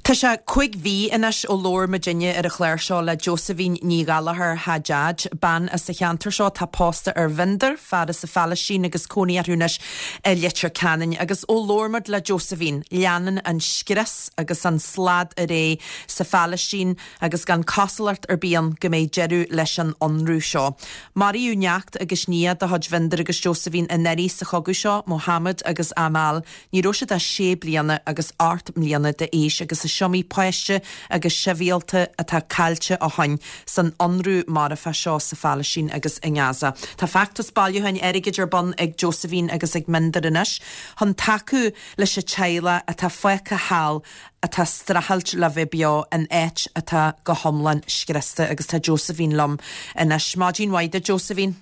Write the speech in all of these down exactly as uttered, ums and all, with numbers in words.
Tá sé cúig mhí anois ó labhair muidinne ar an chlár seo le Josephine Ní Ghallchóir Hajjaj, bean as an cheantar seo tá pósta ar Mhinder, fear as an Phalaistín agus cónaí orthu anois i Leitir Ceanainn. Agus ó labhair muid le Josephine, leanann an scrios agus an slad ar aghaidh sa Phalaistín agus gan cosúlacht ar bith ann go mbeidh deireadh leis an ionradh seo. Maraíodh neacht agus nia de chuid Mhinder agus Josephine anuraidh sa chogadh seo, Mohammed agus Amal. Ní raibh siad ach sé bliana agus ocht mbliana d'aois agus is iomaí páiste agus sibhialta atá caillte ó shin san ionradh marfach seo sa Phalaistín agus i nGaza. Tá feachtas bailiúcháin airgid ar bun ag Josephine agus ag Minder anois chun tacú leis an teaghlach atá fágtha thall atá ag streachailt le bheith beo in áit atá go hiomlán scriosta agus tá Josephine liom anois. Maidin mhaith duit Josephine.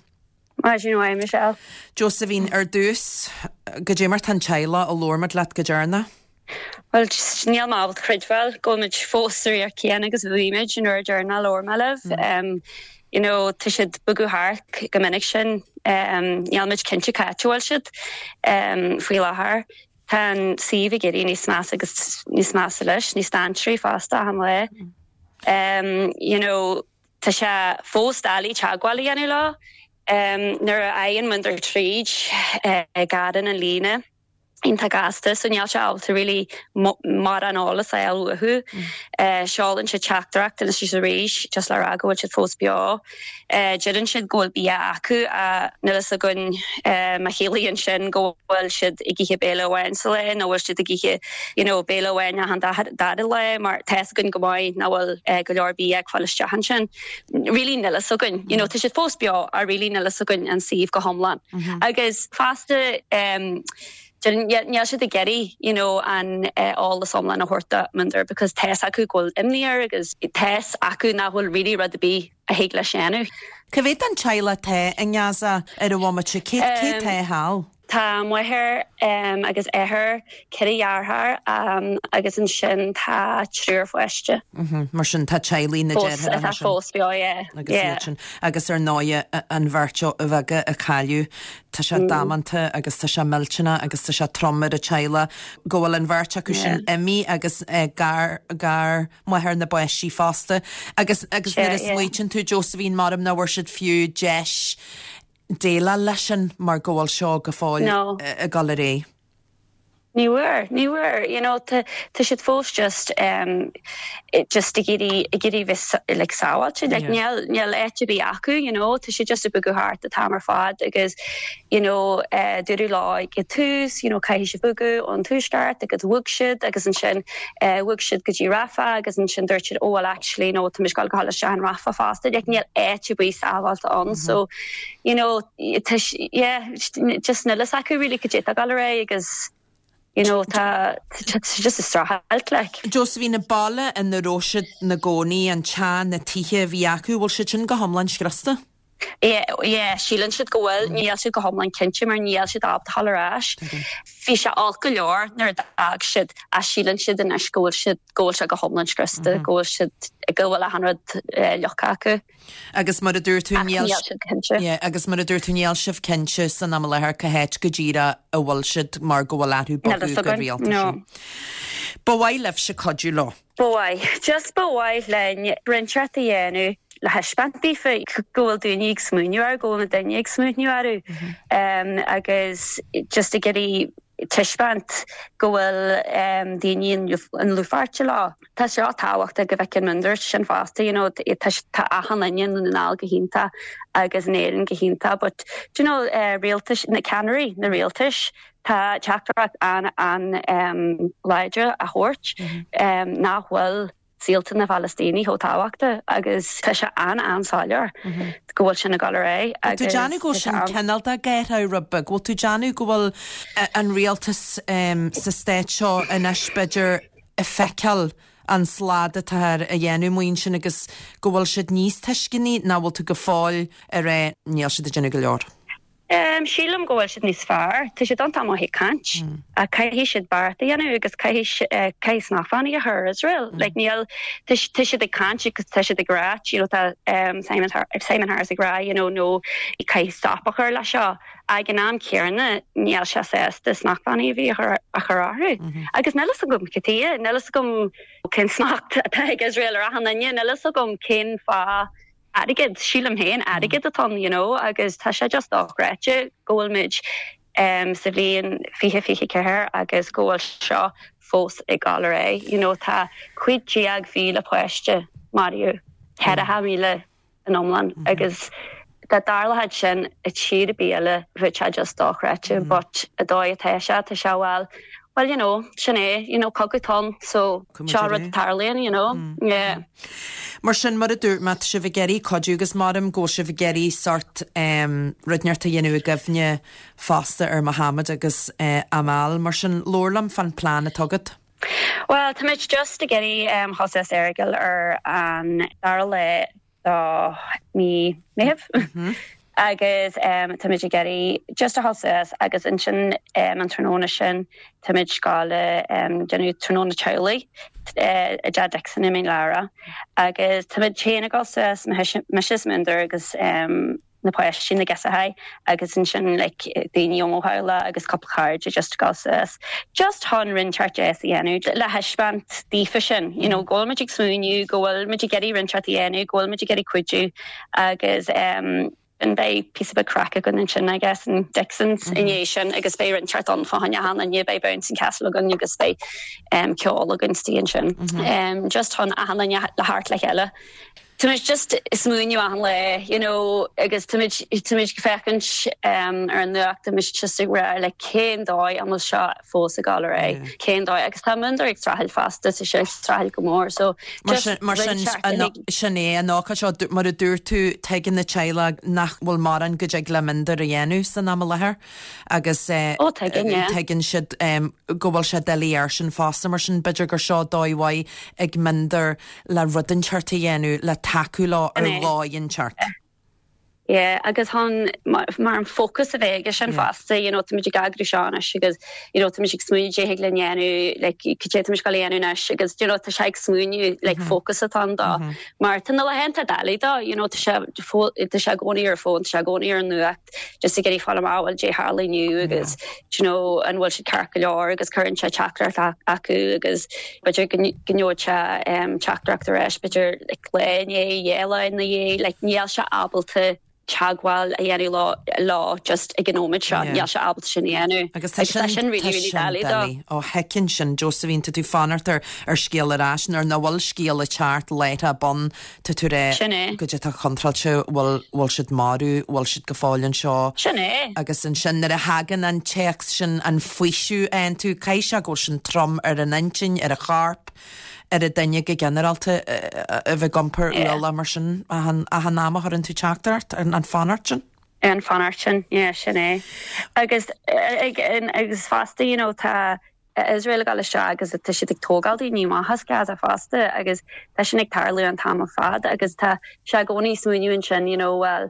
Maidin mhaith Michelle. Josephine ar dtús goidé mar tá an teaghlach ó labhair muid leat go deireanach. Well níl mé ábalta creidbheáil go bhfuil muid fós sa riocht céanna agus bhí muid an uair deireanach labhair mé libh. Um, you know, tá siad bogadh thart go minic sin um, níl muid cinnte cá bhfuil siad um, faoi láthair. Tá an suíomh ag éirí níos measa agus níos measa leis, níos dainséaraí fosta achan lá. Um, you know, tá sé fós doiligh teagmháil a dhéanamh leo. Um, nuair a fhaigheann Minder tríd uh, gearrann an líne. iontach gasta so níl sé ábalta really mar an eolas a fháil uathu. Uh, Seolann siad teachtaireacht anois is arís just le rá go bhfuil siad fós beo. Uh, Deireann siad go bhfuil bia acu a níl a fhios againn uh, má chiallaíonn sin go bhfuil siad ag ithe béile amháin sa lá nó bhfuil siad ag ithe you know, béile amháin an dara lá mar tá a fhios againn go maith nach bhfuil uh, go leor bia ag fáil isteach ansin. Really níl a fhios againn. You know, tá siad fós beo a really níl a fhios againn an suíomh go hiomlán. Mm -hmm. Agus fosta um, níl siad ag iarraidh you know, an eolas uh, iomlán a thabhairt Minder because tá a fhios acu go bhfuil imní air agus tá a fhios acu nach bhfuil really rud ar bith a thig leis déanamh. Cá mhéad den teaghlach atá i nGaza ar an bhomaite cé cé tá thall? Tá máthair um, agus athair ceithre dheartháir um, agus ansin tá triúr pháiste. Mm -hmm. Mar sin tá teaghlaigh na deartháireacha fós beo agus sin agus ar ndóigh an bheirt bheaga a cailleadh Tá sé mm. damanta agus tá sé millteanach agus tá sé trom ar an teaghlach go bhfuil an bheirt acu sin imithe agus uh, gar gar máthair na bpáistí fosta agus agus nuair a smaoitíonn tú Josephine mar nach bhfuair siad fiú deis déileáil leis sin mar go bhfuil seo go fóill No. ag dul ar aghaidh. Ní bhfuair, ní bhfuair, you know, tá siad fós just um, just ag iarraidh ag iarraidh bheith like sábháilte, like níl níl áit ar bith acu, you know, tá siad just ag bogadh thart an t-am ar fad agus you know, uh, dúradh leo ag tús, you know, caithfidh siad bogadh ón tuaisceart agus bhog siad agus ansin uh, bhog siad go dtí Rafah agus ansin dúirt siad oh well actually no, tá muid ag gabháil isteach in Rafah fosta, like níl áit ar bith sábháilte ann, mm -hmm. so you know, yeah, just níl a fhios acu really go dtí go agus you know tá just ag streachailt like. Josephine an baile ina raibh siad ina gcónaí an teach na tithe a bhí acu bhfuil siad sin go hiomlán scriosta? Yeah, yeah, síleann siad go bhfuil níl siad go hiomlán cinnte mar níl siad ábalta dul ar ais. Bhí sé olc go leor nuair a d'fhág siad a síleann siad anois go bhfuil siad go bhfuil sé go hiomlán scriosta, go bhfuil siad go bhfuil achan rud fliuch acu. Agus mar a dúirt tú níl siad cinnte. Yeah, agus mar a dúirt tú níl sibh cinnte san am i láthair cá háit go díreach a bhfuil siad mar go bhfuil athrú bogadh go rialta sin. Ba mhaith libhse cuidiú leo. Ba mhaith, just ba mhaith linn rud inteacht a dhéanamh le thaispeáint daofa go bhfuil daoine ag smaoineamh air go bhfuil na daoine ag smaoineamh orthu um, agus just ag iarraidh taispeáint go bhfuil um, daoine in dlúthpháirt leo. Tá sé tábhachtach go bhfeiceann Minder sin fosta you know, tá achan duine i nDún na nGall go hiontach agus in Éirinn go hiontach, but you know, uh, rialtais na ceannairí na rialtais tá teachtaireacht an an um, láidir a thabhairt mm -hmm. um, nach bhfuil saolta na Palaistíní chomh tábhachtach agus tá sé an an-soiléir go bhfuil sin ag dul ar aghaidh tú déanamh go sin cineál de géirá rud bhfuil tú déanamh go bhfuil an rialtas um, sa stát seo anois b'fhéidir ag feiceáil an slad atá a dhéanamh muin sin agus go bhfuil siad níos tuisceanaí ná bhfuil tú go fóill ar é níl siad ag déanamh go leor. Um, sílim go bhfuil siad níos fearr, Tá siad an-mhaith ag caint mm. a caithfidh siad beart a dhéanamh agus caithfidh uh, caithfidh smachtbhannaí a chur ar Israel. Mm. Like, níl tá siad ag caint agus tá siad ag rá you know, tá um, Simon, Simon Harris ag rá you know, no caithfidh stop a chur le seo ag an am céanna níl sé sásta smachtbhannaí a bhí a chur orthu. Mm -hmm. Agus níl a fhios agam cad chuige, níl a fhios agam cén smacht atá ag Israel ar achan duine, níl a fhios agam cén fáth airgead sílim féin airgead atá you know agus tá sé just dochreidte go bhfuil muid um, sa bhliain fiche fiche ceathair agus go bhfuil seo fós ag dul ar aghaidh you know tá cúig déag mhíle páiste maraithe ceithre mhíle in iomlán mm -hmm. agus dá dtarlódh sin i tír ar bith eile bheadh sé just dochreidte mm -hmm. but an dóigh atá sé tá sé well well you know sin é you know cogadh atá ann so seo rud tarlaíonn you know mm. yeah. Mar sin mar a dúirt má tá sibh ag iarraidh cuidiú agus maram go sibh ag iarraidh sórt um, rud inteacht a dhéanamh i gcuimhne fosta ar Mohammed agus uh, Amal mar sin labhair liom fán plean atá agat. Well tá muid just ag iarraidh um, suas Errigal ar an dara lá de mí Meitheamh. Mm -hmm. agus um, tá muid ag iarraidh just a suas agus ansin um, an tráthnóna sin tá muid ag gabháil um, déanamh tráthnóna teaghlaigh uh, i dTeach Dixon i Mín Lárach agus tá muid féin ag dul suas mise Minder agus um, na páistí na gasúir agus ansin like, daoine ó hála agus cúpla cairde just go suas. Just chun rud inteacht a dhéanamh le thaispeáint daofa sin, you know, go bhfuil muid ag smaoineamh, go bhfuil muid ag iarraidh rud inteacht a dhéanamh, go bhfuil muid ag iarraidh cuidiú agus um, an beidh píosa beag craic againn ansin I guess in Dixon's mm -hmm. inné sin agus beidh rud inteacht ann fá choinne achan duine beidh bouncing castle againn agus beidh um, ceol againn istigh ansin. Mm -hmm. um, just chun achan duine le teacht le chéile. Tá muid just smaoineamh achan lá you know agus tá muid féachaint um, ar an nuacht mis just ag rá le cén dóigh an bhfuil seo fós ag dul ar aghaidh cén dóigh agus tá Minder ag streachailt fosta sa sé streachailt go mór so mar sin sin é an ócáid seo mar a dúirt tú tuigeann na teaghlaigh nach bhfuil mórán go dtig le Minder a dhéanamh san am i láthair agus eh, tuigeann siad go bhfuil sé doiligh air sin fosta mar sin b'fhéidir gur seo dóigh mhaith ag Minder le rud inteacht a dhéanamh le tacú leo ar dhóigh inteacht. Yeah, agus chun mar an focus a bheith aige sin fosta you know, tá muid ag eagrú seo anois agus you know, tá muid ag smaoineamh cad le déanamh like, cad tá muid ag déanamh anois agus you know, tá sé ag smaoineamh like, mm -hmm. focus atá dá mm -hmm. mar tá na laethanta doiligh dó you know, tá sé tá sé i gcónaí ar fón tá sé i gcónaí ar an nuacht just ag iarraidh fáil amach bhfuil cad tharla inniu agus you know, an bhfuil siad ceart go leor agus cuireann sé teachtaireacht acu agus b'fhéidir go ngeobhaidh sé um, teachtaireacht ar ais b'fhéidir like, lá né dhéla na dhé like, níl sé ábalta teagmháil a dhéanamh leo leo just ag an nóiméad seo níl sé ábalta sin a dhéanamh agus tá sin really really doiligh ó heiceann sin Josephine tá tú fanacht ar ar scéal ar ais nuair nach bhfuil scéal ag teacht léithe bun tá tú ré go dtí tá contráilte bhfuil bhfuil siad marbh bhfuil siad go fóill anseo sin é agus ansin nuair a thagann an téacs sin an faoiseamh an tú caithfidh sé go sin trom ar an intinn ar a chorp ar a duine go ginearálta a bheith ag iompar ualach mar sin achan am a chuireann tú teachtaireacht ar an fanacht sin? An fanacht sin yeah, sin é. Agus agus fosta you know, tá Israel ag dul isteach agus tá siad ag tógáil daoine amach as Gaza fosta agus tá sin ag tarlú an t-am ar fad agus tá sé i gcónaí smaoineamh ansin you know, well,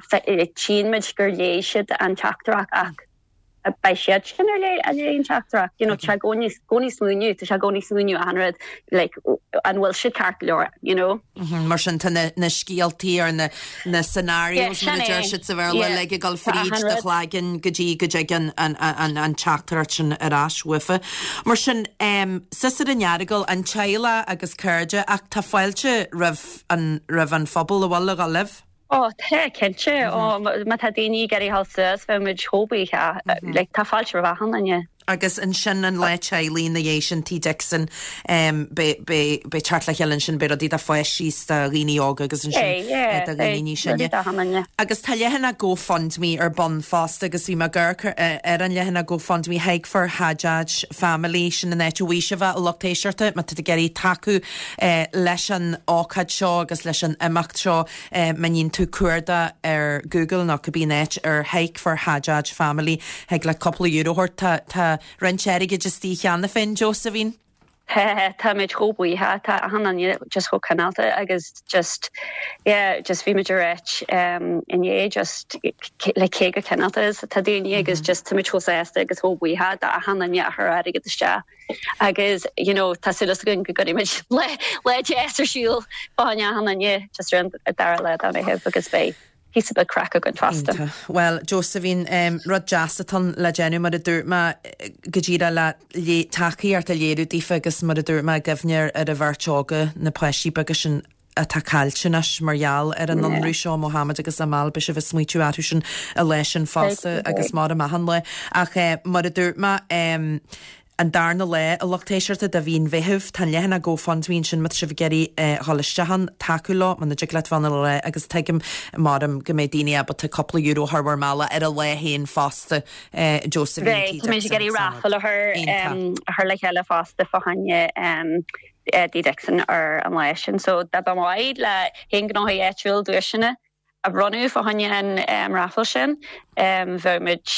tchíonn muid gur léigh siad an teachtaireacht ach beidh siad sin ar lé a lé an teachtaireacht you know, sé i gcónaí gcónaí smaoineamh tá sé i gcónaí smaoineamh an rud like, an bhfuil siad ceart go leor you know. Mm -hmm, mar sin tá na, na scéaltaí ar na, na scenarios yeah, mar a deir siad sa Bhéarla le ag dul fríd do chloigeann go dtí go dtig an, an, an teachtaireacht sin ar ais uafa. Mar sin um, suas ar an Earagail an teaghlach agus cairde ach tá fáilte roimh an, roimh an phobal a bhfuil le dhul libh. Ó tá cinnte ó má tá daoine ag iarraidh dul suas bheadh muid chomh buíoch like, tá fáilte roimh achan duine. Agus ansin an lá teaghlaigh ina dhiaidh sin Tigh Dixon beidh teacht le chéile ansin beidh rudaí do pháistí do dhaoine óga agus ansin do dhaoine níos sine. Agus tá leathanach GoFundMe ar bun fosta agus bhí mé ag amharc ar an leathanach GoFundMe Hike for Hajjaj Family sin an áit a bhfaighidh sibh a lucht éisteachta má tá ag iarraidh tacú leis an ócáid seo agus leis an imeacht seo má dhéanann tú cuardach ar Google nó cibé áit ar Hike for Hajjaj Family thig le cúpla euro a thabhairt tá roinnt airgid istigh cheana féin Josephine. Táimid chomh buíoch tá achan duine just chomh cineálta agus just yeah, just bhí muid ag um, inné just le cé chomh cineálta is tá daoine agus just táimid chomh sásta agus chomh buíoch d'achan duine a chuir airgead isteach. agus you know, tá súil againn go gcuirfimid le le deas ar siúl fá choinne achan duine just ar an dara lá de Mheitheamh agus beidh píosa beag craic againn fosta. Well, Josephine um, rud deas atá le déanamh mar a dúirt mé go díreach le le tacaíocht a léiriú daofa agus mar a dúirt mé i gcuimhne ar an bheirt óga na páistí beaga sin atá caillte anois mar gheall ar an ionradh seo Mohammed agus Amal beidh sibh ag smaoitiú orthu sin an lá sin fosta agus mar a mahan le ach eh, mar a dúirt mé um, an darna lá a lucht éisteachta de mhí an Mheithimh tá leathanach GoFundMe sin má tá sibh ag iarraidh dhul isteach ann tacú leo muna dtig leat bheith ann le agus tuigim mar go mbeidh daoine ábalta cúpla euro a chur bhur mbealach ar an lá féin fosta Josephine Tá mé ag iarraidh raffle a chur a chur le chéile fosta fá choinne Dee Dixon ar an lá sin, so dá mba mhaith le haon ghnóthaí áitiúil duaiseanna a bhronnadh fá choinne an um, raffle sin um, bheadh muid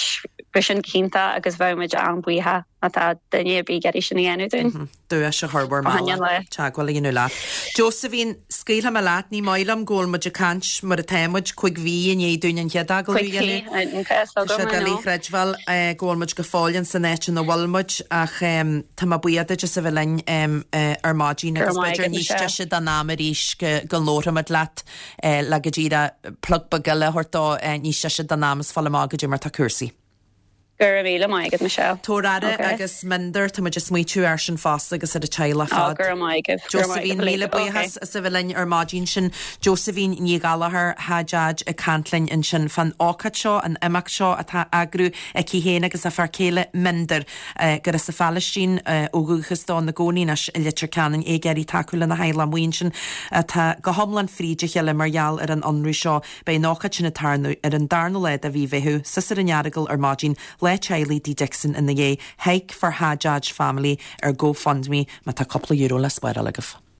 sin cinnte agus bheadh muid an-bhuíoch má tá duine ar bith ag iarraidh sin a dhéanamh dúinn. Mhm. Duais a chur bhur mbealach teagmháil a dhéanamh leat. Josephine scaoilfidh mé leat ní maith liom go bhfuil muid ag caint mar atá muid cúig mhí i ndiaidh dúinn an chéad agallamh a dhéanamh. Tá sé doiligh a chreidbheáil eh, go bhfuil muid go fóill in san áit ina bhfuil muid ach tá mé buíoch duit as a bheith linn eh, ar maidin agus b'fhéidir níos deise don am arís go go labhróimid leat eh, le go díreach plug beag eile a thabhairt dó níos deise don am is fáil amach goidé mar tá cúrsaí. Go raibh míle maith agat Michelle. Tabhair aire agus Minder tá muid ag smaoitiú air sin fosta agus ar a teaghlach fad. Go raibh maith agat. Josephine míle buíochas as a bheith linn ar maidin sin Josephine Ní Ghallchóir Hajjaj ag caint linn ansin fán ócáid seo an imeacht seo atá á eagrú aici féin agus a fear céile Minder gur as an Phalaistín ó dhúchas dó ina gcónaí anois i Leitir Ceanainn ag iarraidh tacú lena theaghlach amuigh ansin atá go hiomlán fríd a chéile mar gheall ar an ionradh seo beidh an ócáid sin ag tarlú ar an darna lá de mhí Mheithimh suas ar an Earagail ar maidin le teaghlaigh Dee Dixon ina dhiaidh Hike for Hajjaj Family ar GoFundMe má tá cúpla euro le spáráil agaibh.